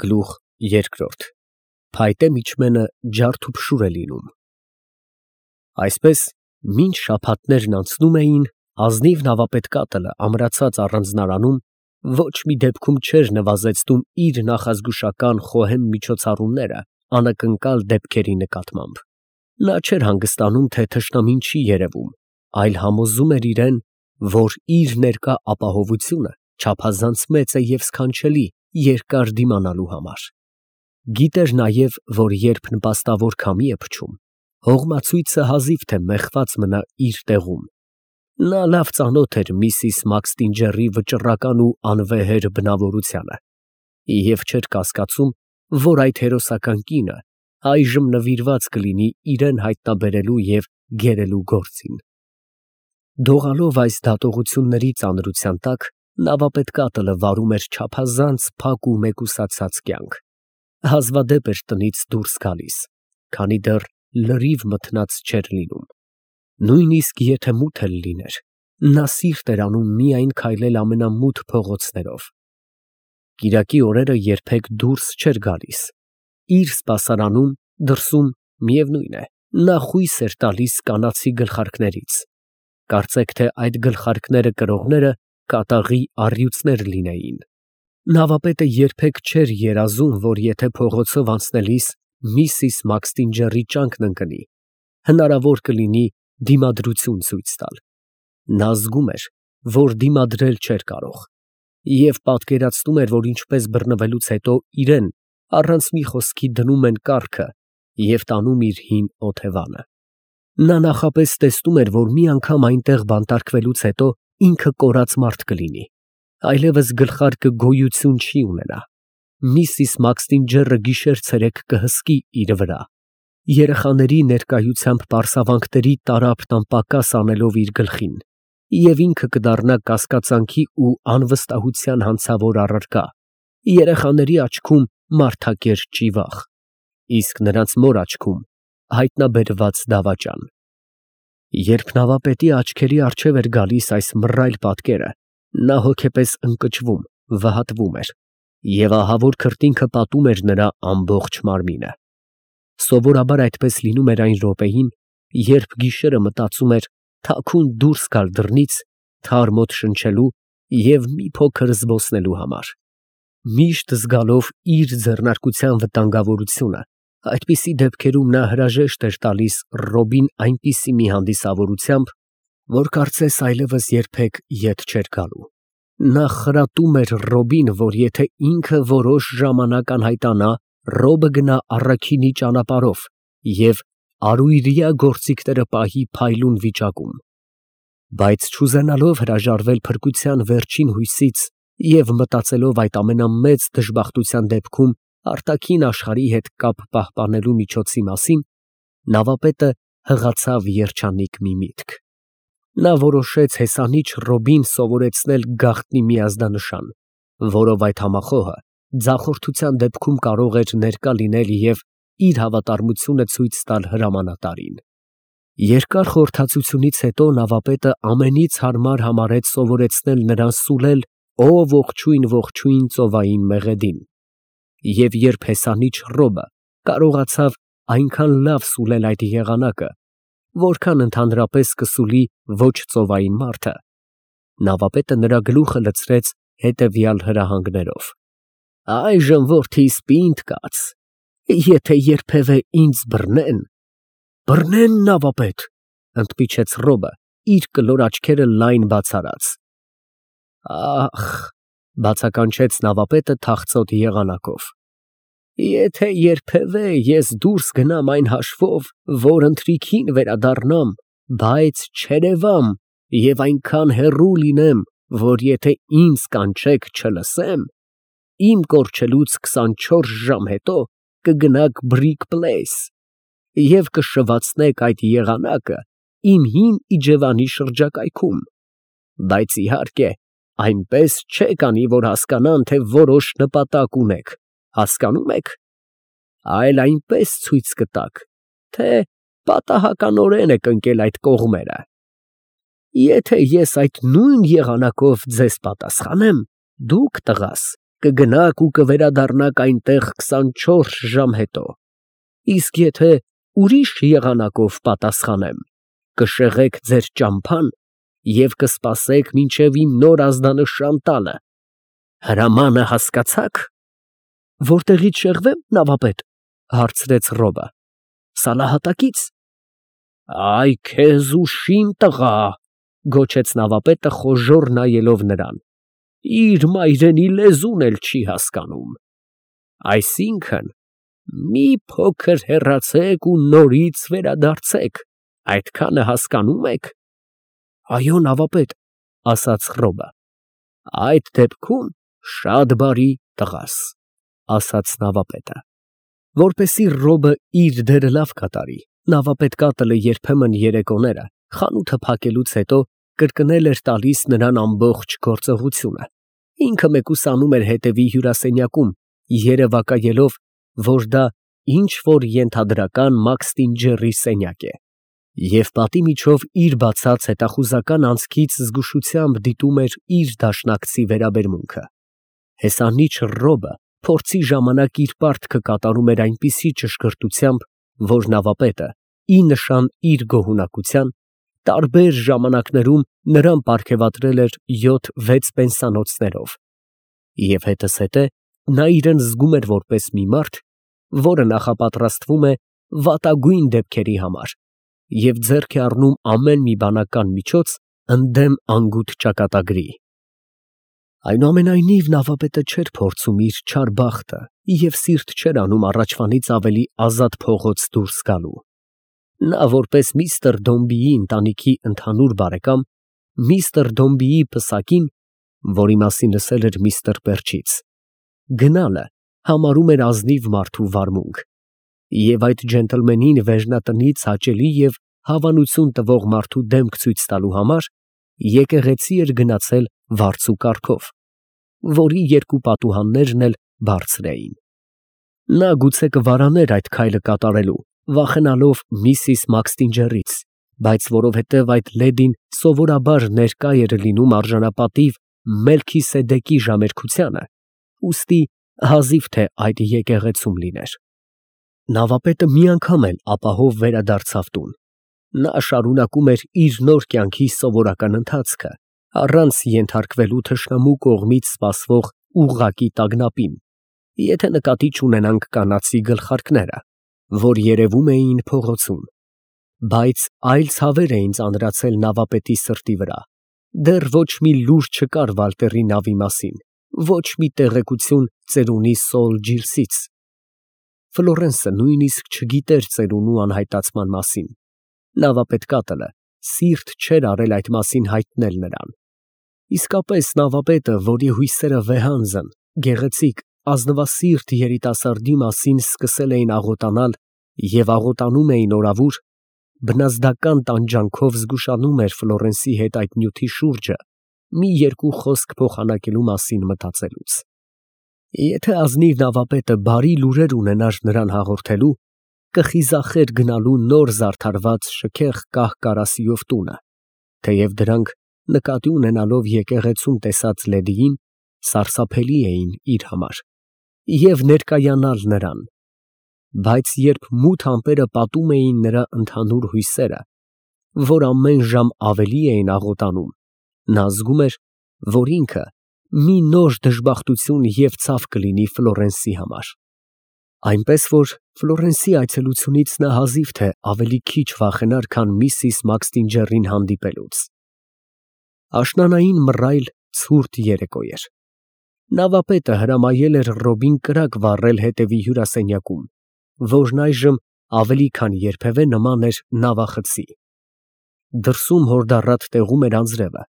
Գլուխ երկրորդ Փայտե միջմենը ջարդուփշուր է լինում։ Այսպես մինչ շաբաթներն անցնում էին, ազնիվ նավապետկատը ամրացած առանձնարանում ոչ մի դեպքում չէր նվազեցնում իր նախազգուշական խոհեմ միջոցառումները անակնկալ դեպքերի նկատմամբ։ Նա չէր հանգստանում, թե թշնամին չի երևում, այլ համոզում էր իրան, որ իր ներկա ապահովությունը չափազանց մեծ է և սքանչելի երկար դիմանալու համար։ Գիտեր նաև, որ երբ նպաստավոր քամի է փչում, հողմացույցը հազիվ թե մեխված մնա իր տեղում։ Նա լավ ծանոթ էր միսիս Մաքստինջերի վճռական ու անվեհեր բնավորությանը և չէր կասկածում, որ այդ հերոսական կինը այժմ նվիրված կլինի իրան հայտնաբերելու և գերելու գործին։ Դողալով այս դատողությունների ծանրության տակ, նավապետկատը վարում էր չափազանց փակ ու մեկուսացած կյանք, հազվադեպ էր տնից դուրս գալիս, քանի դեռ լրիվ մթնած չէր լինում։ Նույնիսկ եթե մութ էլ լիներ, նա սիրտ էր անում միայն քայլել ամենամութ փողոցներով։ Կիրակի օրերը երբեք դուրս չէր գալիս։ Իր սպասարանում, դրսում, միևնույն է, նա խույս էր տալիս կանացի գլխարկներից։ Կարծեք թե այդ գլխարկները կրողները կատաղի առյուծներ լինեին։ Նավապետը երբեք չէր երազում, որ եթե փողոցով անցնելիս միսիս Մաքստինջերի ճանկն ընկնի, հնարավոր կլինի դիմադրություն ցույց տալ։ Նա զգում էր, որ դիմադրել չէր կարող, և պատկերացնում էր, որ ինչպես բռնվելուց հետո իրան առանց մի խոսքի դնում են կառքը և տանում իր հին օթևանը։ Նա նախապես տեսնում էր, որ մի անգամ այնտեղ բանտարկվելուց հետո ինքը կորած մարդ կլինի, այլևս գլխարկը գոյություն չի ունենա։ Միսիս Մաքստինջերը գիշեր֊ցերեկ կհսկի իր վրա, երեխաների ներկայությամբ պարսավանքների տարափն անպակաս անելով իր գլխին, և ինքը կդառնա կասկածանքի ու անվստահության հանցավոր առարկա, երեխաների աչքում մարդակերտ ճիվաղ, իսկ նրանց մոր աչքում հայտնաբերված դավաճան։ Երբ նավապետի աչքերի առջև էր գալիս այս մռայլ պատկերը, նա հոգեպես ընկճվում, վհատվում էր, և ահավոր քրտինքը պատում էր նրա ամբողջ մարմինը։ Սովորաբար այդպես լինում էր այն րոպեին, երբ գիշերը մտածում էր թաքուն դուրս գալ դռնից, թարմ օդ շնչելու և մի փոքր զբոսնելու համար։ Միշտ զգալով իր ձեռնարկության վտանգավորությունը, այդպիսի դեպքերում նա հրաժեշտ էր տալիս Ռոբին այնպիսի մի հանդիսավորությամբ, որ կարծես այլևս երբեք ետ չէր գալու։ Նա խրատում էր Ռոբին, որ եթե ինքը որոշ ժամանակ անհայտանա, Ռոբը գնա առաքինի ճանապարհով և արույրյա գործիքները պահի փայլուն վիճակում։ Բայց չուզենալով հրաժարվել փրկության վերջին հույսից և մտածելով այդ ամենամեծ դժբախտության դեպքում արտաքին աշխարհի հետ կապ պահպանելու միջոցի մասին, նավապետը հղացավ երջանիկ մի միտք։ Նա որոշեց հեսանիչ Ռոբին սովորեցնել գաղտնի մի ազդանշան, որով այդ համախոհը ձախորդության դեպքում կարող էր ներկա լինել և իր հավատարմությունը ցույց տալ հրամանատարին։ Երկար խորհրդածությունից հետո նավապետը ամենից հարմար համարեց սովորեցնել նրան սուլել «Ո ողջույն, ողջույն» ծովային մեղեդին, և երբ հեսանիչ Ռոբը կարողացավ այնքան լավ սուլել այդ եղանակը, որքան ընդհանրապես կսուլի ոչ ծովային մարդը, նավապետը նրա գլուխը լցրեց հետևյալ հրահանգներով. «Այժմ, որդիս, պինդ կաց, եթե երբևէ ինձ բռնեն…» «Բռնեն, նավապետ», ընդմիջեց Ռոբը, իր կլոր աչքերը լայն բաց արած։ «Ախ», բացականչեց նավապետը թախծոտ եղանակով, «եթե երբևէ ես դուրս գնամ այն հաշվով, որ ընթրիքին վերադառնամ, բայց չերևամ և այնքան հեռու լինեմ, որ եթե ինձ կանչեք, չլսեմ, իմ կորչելուց 24 ժամ հետո կգնաք Բրիկ Պլեյս և կշվացնեք այդ եղանակը իմ հին իջևանի շրջակայքում, բայց իհարկե այնպես չեք անի, որ հասկանան, թե որոշ նպատակ ունեք, հասկանո՞ւմ եք, այլ այնպես ցույց կտաք, թե պատահականորեն եք ընկել այդ կողմերը։ Եթե ես այդ նույն եղանակով ձեզ պատասխանեմ, դուք, տղաս, կգնաք ու կվերադառնաք այնտեղ 24 ժամ հետո։ Իսկ եթե ուրիշ եղանակով պատասխանեմ, կշեղեք ձեր ճամփան և կսպասեք մինչև իմ նոր ազդանշան տալը։ Հրամանը հասկացա՞ք։ Որտեղից շեղվեմ, նավապետ, հարցրեց Ռոբը։ Սալահատակից։ Այ քեզ ուշիմ տղա, գոչեց նավապետը խոժոռ նայելով նրան, իր մայրենի լեզուն էլ չի հասկանում։ Այսինքն, մի փոքր հեռացեք ու նորից վերադարձեք, այդքանը հասկանում եք։ Այո, նավապետ, ասաց Ռոբը։ Այդ դեպքում շատ բարի տղաս, ասաց նավապետը։ Որպեսզի Ռոբը իր դերը լավ կատարի, նավապետ կատլը երբեմն երեկոները խանութը փակելուց հետո կրկնել էր տալիս նրան ամբողջ գործողությունը։ Ինքը մեկուսանում էր հետևի հյուրասենյակում, երևակայելով, որ դա ինչ որ ենթադրական Մաքստինջերի սենյակ է, և պատի միջով իր բացած հետախուզական անցքից զգուշությամբ դիտում էր իր դաշնակցի վերաբերմունքը։ Հեսանիչ Ռոբը փորձի ժամանակ իր պարտքը կատարում էր այնպիսի ճշգրտությամբ, որ նավապետը, ի նշան իր գոհունակության, տարբեր ժամանակներում նրան պարգևատրել էր 7-6 պենսանոցներով։ Եվ հետզհետե նա իրեն զգում էր որպես մի մարդ, որը նախապատրաստվում է վատագույն դեպքերի համար և ձեռք է առնում ամեն մի բանական միջոց ընդդեմ անգութ ճակատագրի։ Այնուամենայնիվ նավապետը չէր փորձում իր չար բախտը և սիրտ չէր անում առաջվանից ավելի ազատ փողոց դուրս գալու։ Նա որպես միստր Դոմբիի ընտանիքի ընդհանուր բարեկամ, միստր Դոմբիի պսակին, որի մասին լսել էր միստր Պերչից, գնալը համարում էր ազնիվ մարդու վարմունք, և այդ ջենտլմենին վերջնատնից հաճելի և հավանություն տվող մարդու դեմք ցույց տալու համար եկեղեցի էր գնացել վարձու կառքով, որի երկու պատուհաններն էլ բարձր էին։ Նա գուցե կվարաներ այդ քայլը կատարելու, վախենալով միսիս Մաքստինջերից, բայց որովհետև այդ լեդին սովորաբար ներկա էր լինում արժանապատիվ Մելքիսեդեկի ժամերքությանը, ուստի հազիվ թե այդ եկեղեցում լիներ։ Նավապետը մի անգամ էլ ապահով վերադարձավ տուն։ Նա շարունակում էր իր նոր կյանքի սովորական ընթացքը, առանց ենթարկվելու թշնամու կողմից սպասվող ուղղակի տագնապին, եթե նկատի չունենանք կանացի գլխարկները, որ երևում էին փողոցում։ Բայց այլ ցավեր էին ծանրացել նավապետի սրտի վրա։ Դեռ ոչ մի լուր չկար Վալտերի նավի մասին, ոչ մի տեղեկություն ծերունի Սոլ Ջիրսից։ Ֆլորենսը նույնիսկ չգիտեր ծերունու անհայտացման մասին։ Նավապետ կատլը սիրտ չէր արել այդ մասին հայտնել նրան։ Իսկապես նավապետը, որի հույսերը վեհանձն, գեղեցիկ, ազնվասիրտ երիտասարդի մասին սկսել էին աղոտանալ և աղոտանում էին օրավուր, բնազդական տանջանքով զգուշանում էր Ֆլորենսի հետ այդ նյութի շուրջը մի երկու խոսք փոխանակելու մասին մտածելուց։ Եթե ազնիվ նավապետը բարի լուրեր ունենար նրան հաղորդելու, կխիզախեր գնալու նոր զարդարված շքեղ կահ կարասիով տունը, թեև դրանք, նկատի ունենալով եկեղեցում տեսած լեդիին, սարսափելի էին իր համար, և ներկայանալ նրան։ Բայց երբ մութ ամպերը պատում էին նրա ընդհանուր հույսերը, որ ամեն ժամ ավելի էին աղոտանում, նա զգում էր, որ ինքը մի նոր դժբախտություն և ցավ կլինի Ֆլորենսի համար։ Այնպես որ Ֆլորենսի այցելությունից նա հազիվ թե ավելի քիչ վախենար, քան միսիս Մաքստինջերին հանդիպելուց։ Աշնանային մռայլ ցուրտ երեկո էր։ Նավապետը հրամայել էր Ռոբին կրակ վառել հետևի հյուրասենյակում, որն այժմ ավելի քան երբևէ նման էր նավախցի։ Դրսում հորդառատ տեղում էր անձրևը,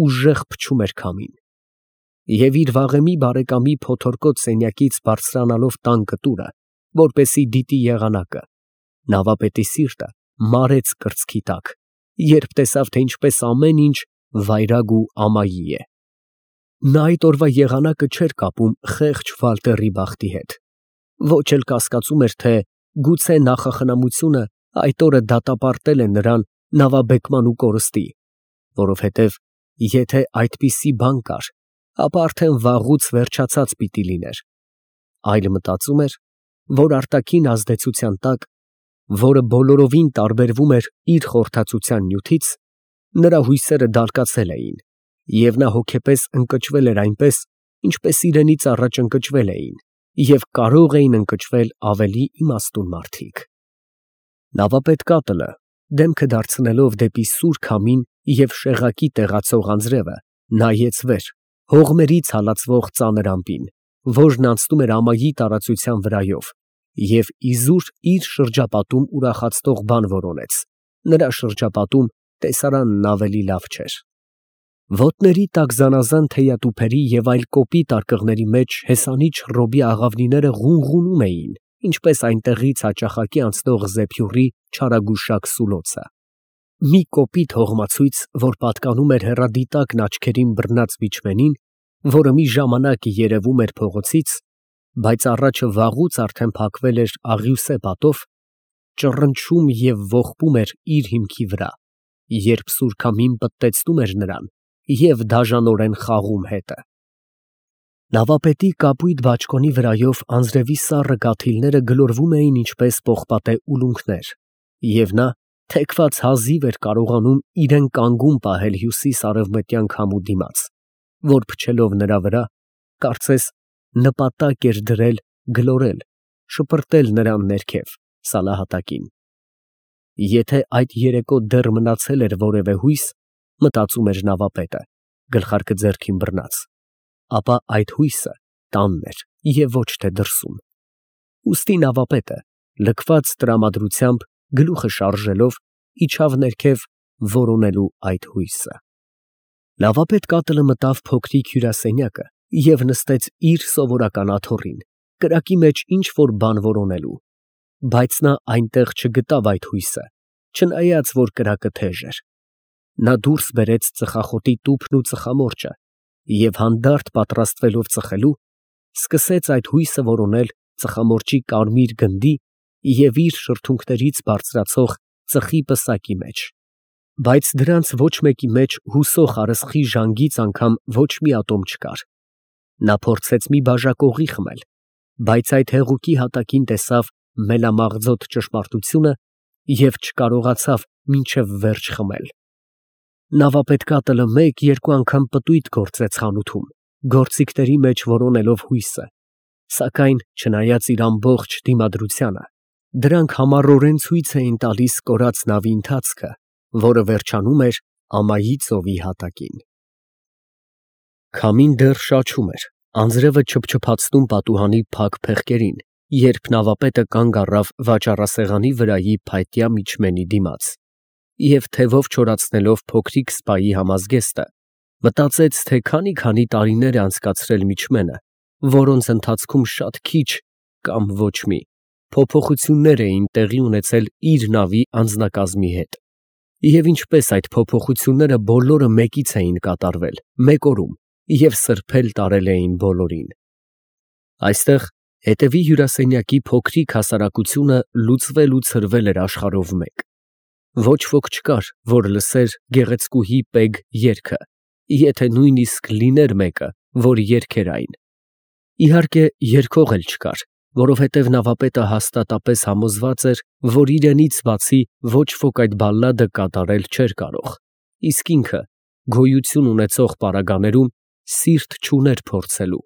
ուժեղ փչում էր քամին։ Եվ իր վաղեմի բարեկամի փոթորկոտ սենյակից բարձրանալով տան կտուրը, որպեսզի դիտի եղանակը, նավապետի սիրտը մարեց կրծքի տակ, երբ տեսավ, թե ինչպես ամեն ինչ վայրագ ու ամայի է։ Նա այդ օրվա եղանակը չէր կապում խեղճ Վալտերի բախտի հետ, ոչ էլ կասկածում էր, թե գուցե նախախնամությունը այդ օրը դատապարտել է նրան նավաբեկման ու կորստի, որովհետև եթե այդպիսի բան կար, ապա արդեն վաղուց վերջացած պիտի լիներ, այլ մտածում էր, որ արտաքին ազդեցության տակ, որը բոլորովին տարբերվում էր իր խորհրդածության նյութից, նրա հույսերը դալկացել էին, և նա հոգեպես ընկճվել էր այնպես, ինչպես իրենից առաջ ընկճվել էին և կարող էին ընկճվել ավելի իմաստուն մարդիկ։ Նավապետ Կատլը, դեմքը դարձնելով դեպի սուր քամին և շեղակի տեղացող անձրևը, նայեց վեր, հողմերից հալածվող ծանր ամպին, որն անցնում էր ամայի տարածության վրայով, և իզուր իր շրջապատում ուրախացնող բան որոնեց. նրա շրջապատում տեսարանն ավելի լավ չէր։ Ոտների տակ զանազան թեյատուփերի և այլ կոպիտ արկղների մեջ հեսանիչ ռոբի աղավնիները ղունղունում էին, ինչպես այնտեղից հաճախակի անցնող զեփյուռի չարագուշակ սուլոցը։ Մի կոպիտ հողմացույց, որ պատկանում էր հեռադիտակն աչքերին բռնած միջվենին, որը մի ժամանակ երևում էր փողոցից, բայց առաջը վաղուց արդեն փակվել էր աղյուսե պատով, ճռնչում և ողբում էր իր հիմքի վրա, երբ սուր քամին պտտեցնում էր նրան և դաժանորեն խաղում հետը։ Նավապետի կապույտ բաճկոնի վրայով անձրևի սառը կաթիլները գլորվում էին ինչպես պողպատե ուլունքներ, և նա թեքված հազիվ էր կարողանում իրեն կանգուն պահել հյուսիս֊արևմտյան քամու դիմաց, որ փչելով նրա վրա, կարծես նպատակ էր դրել գլորել, շպրտել նրան ներքև, սալահատակին։ Եթե այդ երեկո դեռ մնացել էր որևէ հույս, մտածում էր նավապետը, գլխարկը ձեռքին բռնած, ապա այդ հույսը տանն էր և ոչ թե դրսում։ Ուստի նավապետը, լքված տրամադրությամբ, գլուխը շարժելով, իջավ ներքև որոնելու այդ հույսը։ Նավապետ Կատլը մտավ փոքրիկ հյուրասենյակը և նստեց իր սովորական աթոռին, կրակի մեջ ինչ֊որ բան որոնելու, բայց նա այնտեղ չգտավ այդ հույսը, չնայած որ կրակը թեժ էր։ Նա դուրս բերեց ծխախոտի տուփն ու ծխամորճը և հանդարտ պատրաստվելով ծխելու, սկսեց այդ հույսը որոնել ծխամորճի կարմիր գնդի և իր շրթունքներից բարձրացող ծխի պսակի մեջ, բայց դրանց ոչ մեկի մեջ հուսող արսխի ժանգից անգամ ոչ մի ատոմ չկար։ Նա փորձեց մի բաժակողի խմել, բայց այդ հեղուկի հատակին տեսավ մելամաղձոտ ճշմարտությունը և չկարողացավ մինչև վերջ խմել։ Նավապետ Կատլը մեկ֊երկու անգամ պտույտ գործեց խանութում, գործիքների մեջ որոնելով հույսը, սակայն, չնայած իր ամբողջ դիմադրությանը, դրանք համառորեն ցույց էին տալիս կորած նավի ընթացքը, որը վերջանում էր ամայի ծովի հատակին։ Քամին դեռ շաչում էր, անձրևը չփչփացնում պատուհանի փակ փեղկերին, երբ նավապետը կանգ առավ վաճառասեղանի վրայի փայտյա միջմենի դիմաց և թևով չորացնելով փոքրիկ սպայի համազգեստը, մտածեց, թե քանի տարիներ է անցկացրել միջմենը, որոնց ընթացքում շատ քիչ կամ ոչ մի փոփոխություններ էին տեղի ունեցել իր նավի անձնակազմի հետ, և ինչպես այդ փոփոխությունները բոլորը մեկից էին կատարվել, մեկ օրում և սրբել տարել էին բոլորին։ Այստեղ հետևի հյուրասենյակի փոքրիկ հասարակությունը լուծվել ու ցրվել էր աշխարհով մեկ։ Ոչ ոք չկար, որ լսեր գեղեցկուհի Պեգ երգը, եթե նույնիսկ լիներ մեկը, որ երգեր այն։ Իհարկե, երգող էլ չկար, որովհետև նավապետը հաստատապես համոզված էր, որ իրենից բացի ոչ ոք այդ բալլադը կատարել չէր կարող, իսկ ինքը գոյություն ունեցող պարագաներում սիրտ չուներ փորձելու։